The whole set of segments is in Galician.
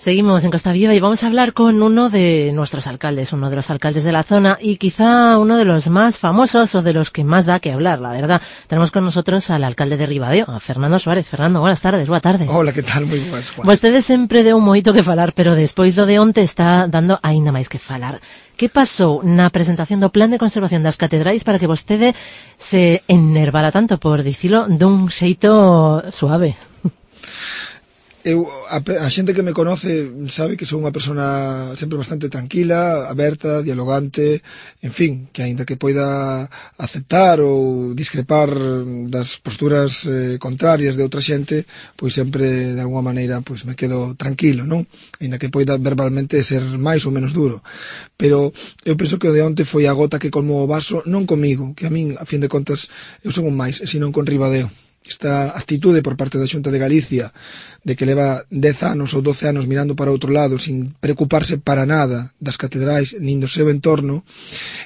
Seguimos en Costa Viva y vamos a hablar con uno de nuestros alcaldes, uno de los alcaldes de la zona y quizá uno de los más famosos o de los que más da que hablar, la verdad. Tenemos con nosotros al alcalde de Ribadeo, a Fernando Suárez. Fernando, buenas tardes, boa tarde. Hola, que tal? Moi boas, Juan. Vostede sempre deu moito que falar, pero despois do de onte está dando aínda máis que falar. Que pasou na presentación do Plan de Conservación das Catedrais para que vostede se enervara tanto, por dicilo dun xeito suave? A xente que me conoce sabe que sou unha persona sempre bastante tranquila, aberta, dialogante, en fin, que aínda que poida aceptar ou discrepar das posturas contrarias de outra xente, pois sempre de alguma maneira pois me quedo tranquilo, non? Aínda que poida verbalmente ser máis ou menos duro. Pero eu penso que o de onte foi a gota que colmou o vaso, non comigo, que a min, a fin de contas, eu son un máis, senón con Ribadeo. Esta actitude por parte da Xunta de Galicia de que leva 10 anos ou 12 anos mirando para outro lado sin preocuparse para nada das catedrais nin do seu entorno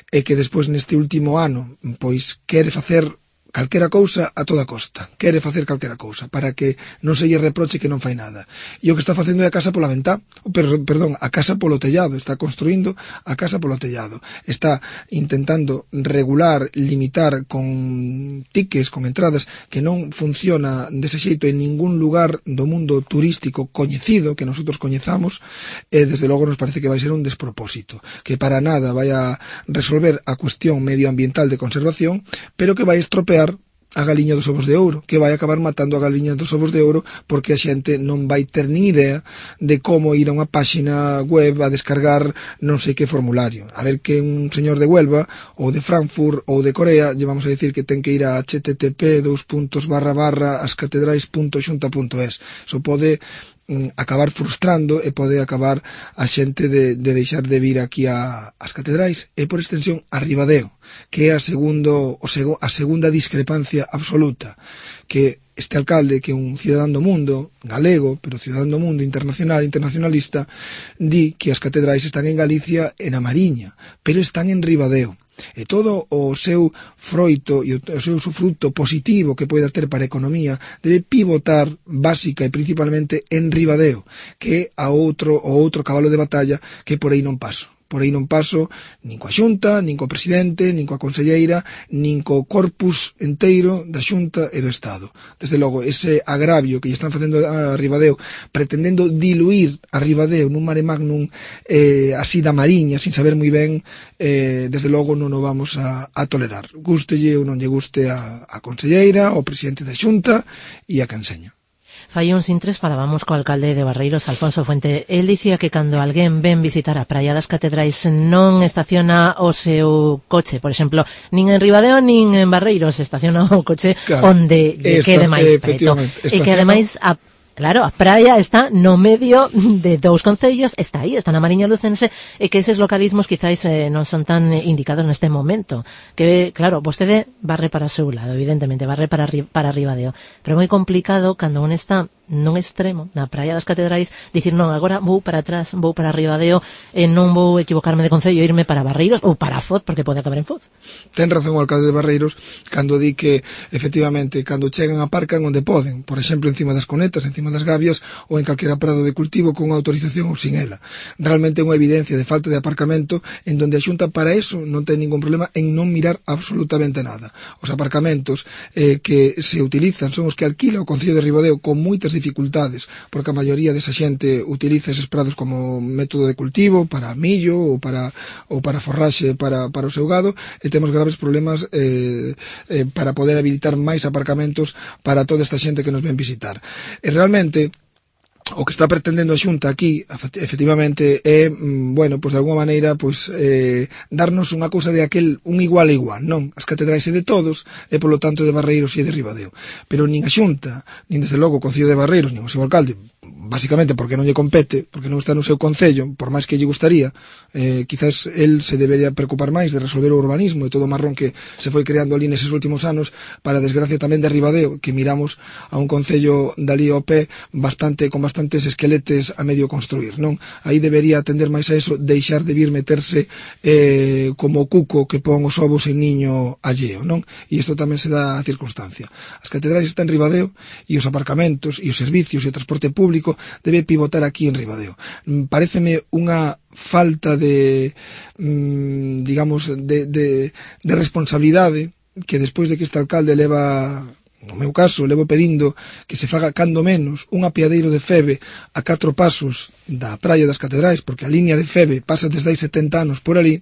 e que despois neste último ano pois quere facer calquera cousa a toda costa, quere facer calquera cousa para que non se lle reproche que non fai nada. E o que está facendo é a casa pola ventá, a casa polo tellado, está construindo a casa polo tellado. Está intentando regular, limitar con tiques, con entradas que non funciona dese xeito en ningún lugar do mundo turístico coñecido que nosotros coñezamos, e desde logo nos parece que vai ser un despropósito, que para nada vai a resolver a cuestión medioambiental de conservación, pero que vai estropear a galiña dos ovos de ouro, que vai acabar matando a galiña dos ovos de ouro porque a xente non vai ter nin idea de como ir a unha páxina web a descargar non sei que formulario. A ver que un señor de Huelva ou de Frankfurt ou de Corea lle vamos a decir que ten que ir a http://ascatedrais.xunta.es. Iso pode acabar frustrando e pode acabar a xente de deixar de vir aquí ás catedrais e por extensión a Ribadeo, que é a segunda discrepancia absoluta, que este alcalde, que é un cidadán do mundo, galego, pero cidadán do mundo internacionalista, di que as catedrais están en Galicia e na Mariña, pero están en Ribadeo. E todo o seu froito e o seu fruto positivo que poida ter para a economía debe pivotar básica e principalmente en Ribadeo, que é o outro cabalo de batalla que por aí non paso. Por aí non paso nin coa Xunta, nin co presidente, nin coa conselleira, nin co corpus enteiro da Xunta e do Estado. Desde logo, ese agravio que lle están facendo a Ribadeo, pretendendo diluir a Ribadeo nun mare magnum así da Mariña, sin saber moi ben, desde logo non o vamos a tolerar. Gústelle ou non lle guste a conselleira, ao presidente da Xunta e a canseña. Fai uns intres falábamos co alcalde de Barreiros, Alfonso Fuente. El dicía que cando alguén ven visitar a Praia das Catedrais non estaciona o seu coche, por exemplo, nin en Ribadeo nin en Barreiros, estaciona o coche onde lle quede máis preto. E que ademais claro, a praia está no medio de dous concellos, está aí, está na Mariña Lucense, e que eses localismos quizáis non son tan indicados neste momento. Que, claro, vostede barre para o seu lado, evidentemente, barre para Ribadeo, pero é moi complicado cando un está nun extremo, na Praia das Catedrais, dicir, non, agora vou para atrás, vou para Ribadeo, e non vou equivocarme de concello e irme para Barreiros ou para Foz, porque pode acabar en Foz. Ten razón o alcalde de Barreiros cando di que, efectivamente, cando chegan aparcan onde poden, por exemplo, encima das conetas, encima das gavias ou en calquera prado de cultivo con autorización ou sin ela. Realmente é unha evidencia de falta de aparcamento en donde a Xunta para eso non ten ningún problema en non mirar absolutamente nada. Os aparcamentos que se utilizan son os que alquila o Concello de Ribadeo con moitas dificultades, porque a maioría desa xente utiliza eses prados como método de cultivo para millo ou para forraxe para o seu gado, e temos graves problemas para poder habilitar máis aparcamentos para toda esta xente que nos ven visitar. E realmente o que está pretendendo a Xunta aquí, efectivamente, é, bueno, pois de alguma maneira, pois darnos unha cousa de aquel, un igual a igual, non? As catedrais é de todos, e polo tanto de Barreiros e de Ribadeo. Pero nin a Xunta, nin desde logo o Concello de Barreiros, nin o seu alcalde, basicamente porque non lle compete, porque non está no seu concello, por máis que lle gustaría, quizás el se debería preocupar máis de resolver o urbanismo e todo o marrón que se foi creando ali neses últimos anos, para desgracia tamén de Ribadeo, que miramos a un concello dali ao pé con bastantes esqueletes a medio construir, non? Aí debería atender máis a eso, deixar de vir meterse como cuco que pon os ovos en niño alleo, non? E isto tamén se dá a circunstancia. As catedrais están en Ribadeo e os aparcamentos e os servicios e o transporte público público debe pivotar aquí en Ribadeo. Paréceme unha falta de, digamos, de responsabilidade que despois de que este alcalde leva, no meu caso, levo pedindo que se faga cando menos un apeadeiro de Feve a 4 pasos da Praia das Catedrais, porque a liña de Feve pasa desde hai 70 anos por ali,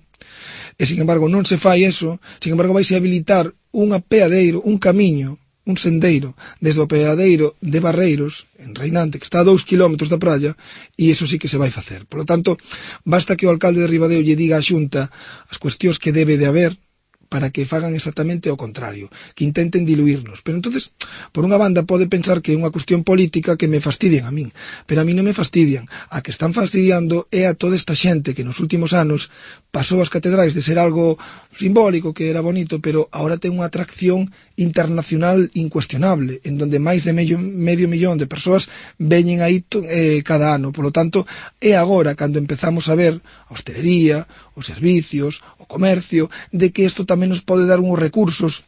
e sin embargo non se fai eso, sin embargo vaise habilitar un apeadeiro, un camiño, un sendeiro, desde o apeadeiro de Barreiros, en Reinante, que está a 2 kilómetros da praia, e iso sí que se vai facer. Por lo tanto, basta que o alcalde de Ribadeo lle diga á Xunta as cuestións que debe de haber para que fagan exactamente o contrario, que intenten diluirnos. Pero entonces, por unha banda, pode pensar que é unha cuestión política que me fastidian a min, pero a mí non me fastidian. A que están fastidiando é a toda esta xente que nos últimos anos pasou as catedrais de ser algo simbólico, que era bonito, pero ahora ten unha atracción internacional incuestionable, en donde máis de medio millón de persoas veñen aí cada ano. Por lo tanto, é agora cando empezamos a ver a hostelería, os servicios, o comercio, de que isto tamén nos pode dar uns recursos,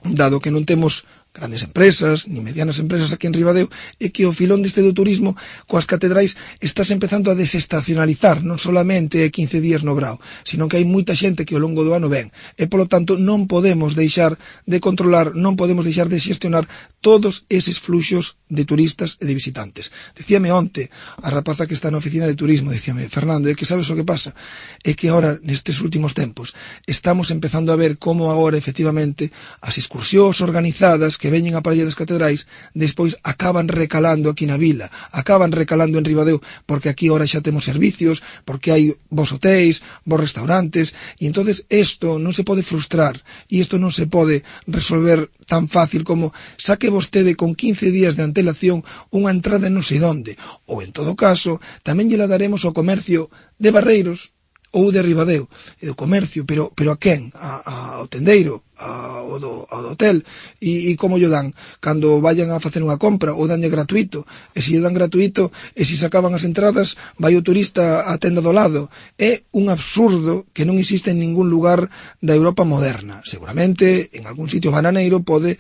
dado que non temos grandes empresas, ni medianas empresas aquí en Ribadeo, e que o filón deste do turismo coas catedrais estás empezando a desestacionalizar, non solamente 15 días no Brao, sino que hai moita xente que ao longo do ano ven, e polo tanto non podemos deixar de controlar, non podemos deixar de xestionar todos eses fluxos de turistas e de visitantes. Dicíame onte a rapaza que está na oficina de turismo, dicíame, Fernando, é que sabes o que pasa? É que agora, nestes últimos tempos, estamos empezando a ver como agora, efectivamente, as excursións organizadas que veñen á Praia das Catedrais, despois acaban recalando aquí na vila, acaban recalando en Ribadeo, porque aquí ahora xa temos servicios, porque hai vos hotéis, vos restaurantes, e entonces isto non se pode frustrar, e isto non se pode resolver tan fácil como saque vostede con 15 días de antelación unha entrada non sei onde, ou en todo caso, tamén lle la daremos ao comercio de Barreiros, ou de Ribadeo, e o comercio, pero a quen? Ao tendeiro, ao do hotel, e como lle dan? Cando vayan a facer unha compra, ou danlle gratuito, e se lle dan gratuito, e se sacaban as entradas, vai o turista á tenda do lado. É un absurdo que non existe en ningún lugar da Europa moderna. Seguramente, en algún sitio bananeiro pode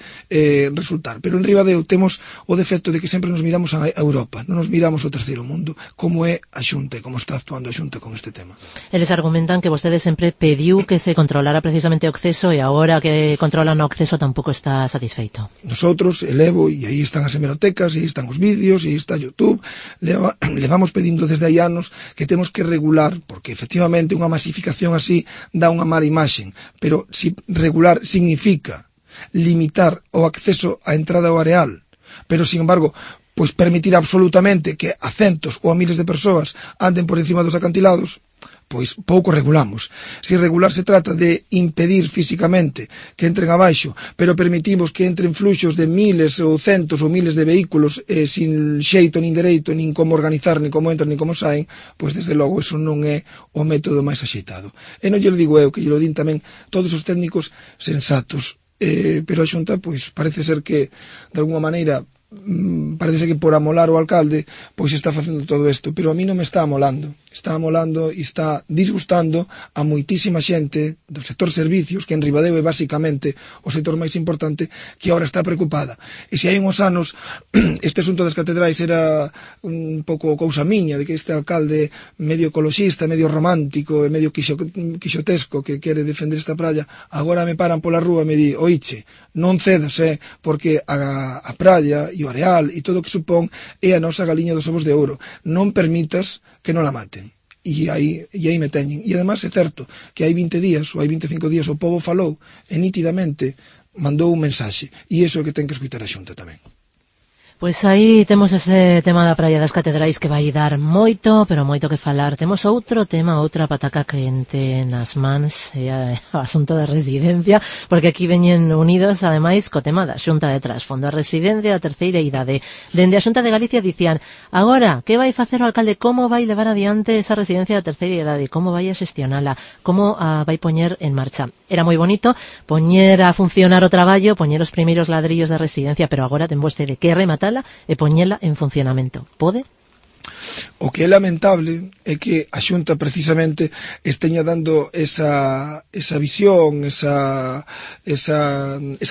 resultar, pero en Ribadeo temos o defecto de que sempre nos miramos a Europa, non nos miramos ao terceiro mundo, como é a Xunta, como está actuando a Xunta con este tema. Eles argumentan que vostede sempre pediu que se controlara precisamente o acceso e agora que controlan o acceso tampouco está satisfeito. Nosotros, elevo, e aí están as hemerotecas, e aí están os vídeos, e aí está YouTube, levamos pedindo desde hai anos que temos que regular, porque efectivamente unha masificación así dá unha mala imaxen, pero si regular significa limitar o acceso á entrada ao areal, pero sin embargo pois permitir absolutamente que a centos ou a miles de persoas anden por encima dos acantilados, pois pouco regulamos. Si regular se trata de impedir físicamente que entren abaixo, pero permitimos que entren fluxos de miles ou centos ou miles de vehículos sin xeito nin dereito, nin como organizar, nin como entran, nin como saen, pois desde logo eso non é o método máis axeitado. E non lle digo eu, que lle din tamén todos os técnicos sensatos, pero a Xunta pois parece ser que de alguma maneira parece que por amolar o alcalde pois está facendo todo isto, pero a mí non me está amolando e está disgustando a moitísima xente do sector servicios, que en Ribadeo é basicamente o sector máis importante, que agora está preocupada. E se hai uns anos este asunto das catedrais era un pouco cousa miña, de que este alcalde medio ecoloxista, medio romántico e medio quixotesco que quere defender esta praia, agora me paran pola rúa e me di, oiche, non cedas, porque a praia e o areal e todo o que supón é a nosa galiña dos ovos de ouro. Non permitas que non la maten. E aí me teñen. E además é certo que hai 20 días ou hai 25 días o povo falou e nítidamente mandou un mensaxe. E iso é o que ten que escutar a Xunta tamén. Pois aí temos ese tema da Praia das Catedrais que vai dar moito, pero moito que falar. Temos outro tema, outra pataca quente nas mans, é o asunto da residencia, porque aquí veñen unidos, ademais, co tema da Xunta de Trasfondo. A residencia da terceira idade. Dende a Xunta de Galicia dicían, agora, que vai facer o alcalde? Como vai levar adiante esa residencia da terceira idade? Como vai a xestionala? Como a vai poñer en marcha? Era moi bonito poñer a funcionar o traballo, poñer os primeiros ladrillos da residencia, pero agora ten vostede que rematar e poñela en funcionamento. Pode? O que é lamentable é que a Xunta precisamente esteña dando esa visión, esa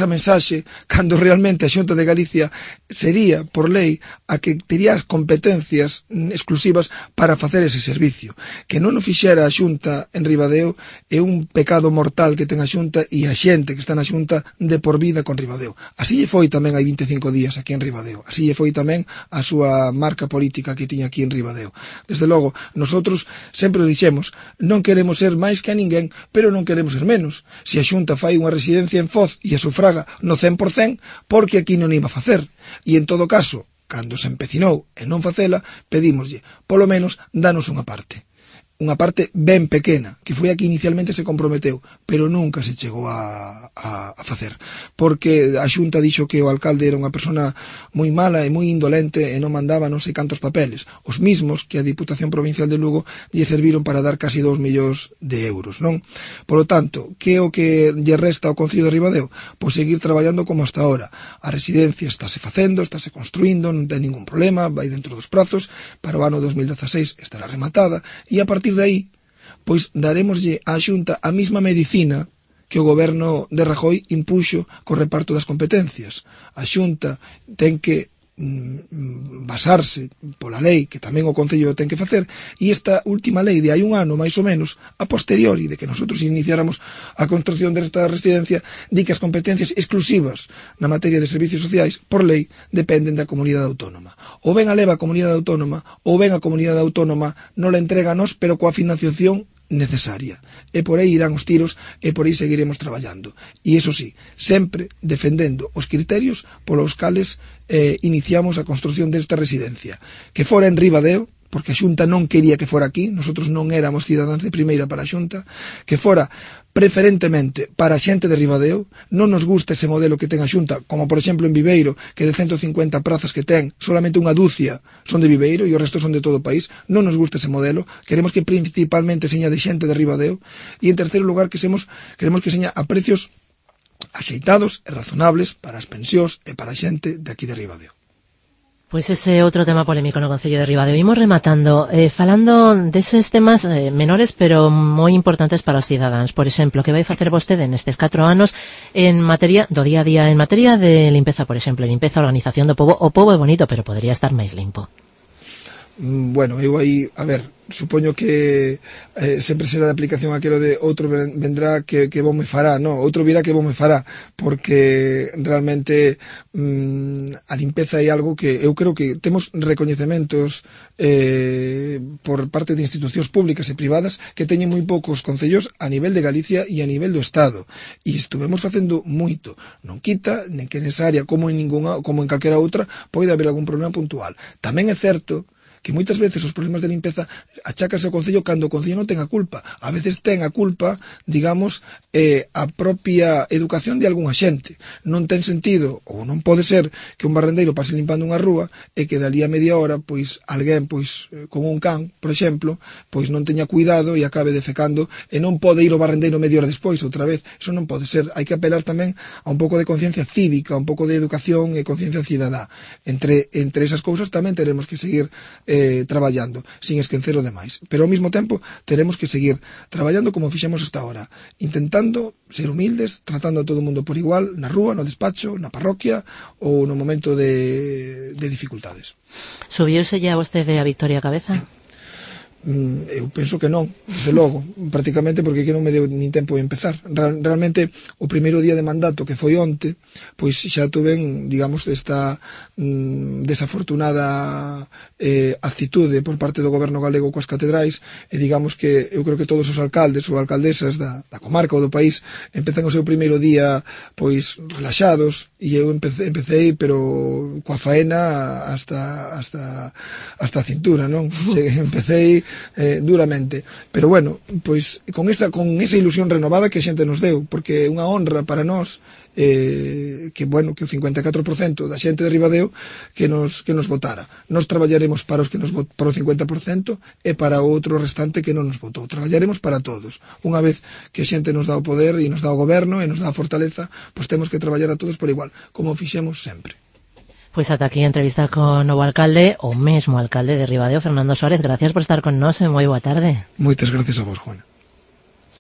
mensaxe, cando realmente a Xunta de Galicia sería, por lei, a que tería as competencias exclusivas para facer ese servicio. Que non o fixera a Xunta en Ribadeo é un pecado mortal que ten a Xunta e a xente que está na Xunta de por vida con Ribadeo. Así lle foi tamén hai 25 días aquí en Ribadeo. Así lle foi tamén a súa marca política que tiña aquí en Ribadeo. Desde logo, nosotros sempre o dixemos, non queremos ser máis que a ninguén, pero non queremos ser menos. Se a Xunta fai unha residencia en Foz e a sufraga no 100%, porque aquí non iba a facer. E en todo caso, cando se empecinou en non facela, pedímoslle, polo menos, danos unha parte ben pequena, que foi a que inicialmente se comprometeu, pero nunca se chegou a facer, porque a Xunta dixo que o alcalde era unha persona moi mala e moi indolente e non mandaba non sei cantos papeles, os mismos que a Diputación Provincial de Lugo lle serviron para dar casi 2 millóns de euros, non? Polo tanto, que é o que lle resta ao Concello de Ribadeo? Pois seguir traballando como hasta ahora. A residencia estáse facendo, estáse construindo, non ten ningún problema, vai dentro dos prazos, para o ano 2016 estará rematada, e a partir de aí, pois daremoslle á Xunta a mesma medicina que o goberno de Rajoy impuxo co reparto das competencias. A Xunta ten que basarse pola lei que tamén o Concello ten que facer, e esta última lei de hai un ano, máis ou menos, a posteriori de que nosotros iniciáramos a construcción desta residencia, di que as competencias exclusivas na materia de servicios sociais, por lei, dependen da comunidade autónoma. Ou ben a leva a comunidade autónoma, ou ben a comunidade autónoma non la entrega a nós, pero coa financiación necesaria. E por aí irán os tiros e por aí seguiremos traballando. E iso sí, sempre defendendo os criterios polos cales iniciamos a construcción desta residencia. Que fora en Ribadeo, porque a Xunta non quería que fora aquí, nosotros non éramos cidadáns de primeira para a Xunta, que fora preferentemente para a xente de Ribadeo, non nos gusta ese modelo que ten a Xunta, como por exemplo en Viveiro, que de 150 prazas que ten, solamente unha dúcia son de Viveiro e o resto son de todo o país, non nos gusta ese modelo, queremos que principalmente seña de xente de Ribadeo, e en terceiro lugar queremos que seña a precios axeitados e razonables para as pensións e para a xente de aquí de Ribadeo. Pois ese outro tema polémico no Concello de Ribadeo. Imos rematando, falando deses temas menores, pero moi importantes para os cidadáns. Por exemplo, que vai facer vostede nestes 4 anos en materia do día a día, en materia de limpeza, por exemplo, limpeza, organización do pobo. O pobo é bonito, pero podería estar máis limpo. Bueno, eu aí, a ver, supoño que sempre será de aplicación aquilo de outro vendrá que vos me fará, no, outro virá que vos me fará, porque realmente a limpeza é algo que eu creo que temos recoñecementos por parte de institucións públicas e privadas que teñen moi poucos concellos a nivel de Galicia e a nivel do Estado, e estuvemos facendo moito, non quita nen que nesa área como en calquera outra pode haber algún problema puntual. Tamén é certo que moitas veces os problemas de limpeza achácanse ao Concello cando o Concello non ten a culpa. A veces ten a culpa, digamos, a propia educación de algunha xente. Non ten sentido, ou non pode ser, que un barrendeiro pase limpando unha rúa e que dali a media hora, pois, alguén, pois, con un can, por exemplo, pois non teña cuidado e acabe defecando e non pode ir o barrendeiro media hora despois, outra vez. Eso non pode ser. Hai que apelar tamén a un pouco de conciencia cívica, un pouco de educación e conciencia cidadá. Entre esas cousas tamén teremos que seguir traballando, sin esquecer o demais. Pero ao mesmo tempo teremos que seguir traballando como fixemos hasta ahora, intentando ser humildes, tratando a todo o mundo por igual, na rúa, no despacho, na parroquia ou no momento de dificultades. Subiuse ya vostede a Victoria Cabeza? Eu penso que non, desde logo, prácticamente porque que non me deu nin tempo de empezar. Realmente, o primeiro día de mandato, que foi onte, pois xa tuven, digamos, esta desafortunada actitude por parte do goberno galego coas catedrais, e digamos que eu creo que todos os alcaldes ou alcaldesas da comarca ou do país empezan o seu primeiro día pois relaxados, e eu empecé pero coa faena hasta a cintura, non? Empecé duramente, pero bueno, pois con esa ilusión renovada que a xente nos deu, porque é unha honra para nós que bueno, que o 54% da xente de Ribadeo que nos votara. Nós traballaremos para os que para o 50% e para o outro restante que non nos votou. Traballaremos para todos. Unha vez que a xente nos dá o poder e nos dá o goberno e nos dá a fortaleza, pois temos que traballar a todos por igual, como fixemos sempre. Pois ata aquí a entrevista con o novo alcalde, o mesmo alcalde de Ribadeo, Fernando Suárez. Gracias por estar con nós e moi boa tarde. Moitas gracias a vos, Juan.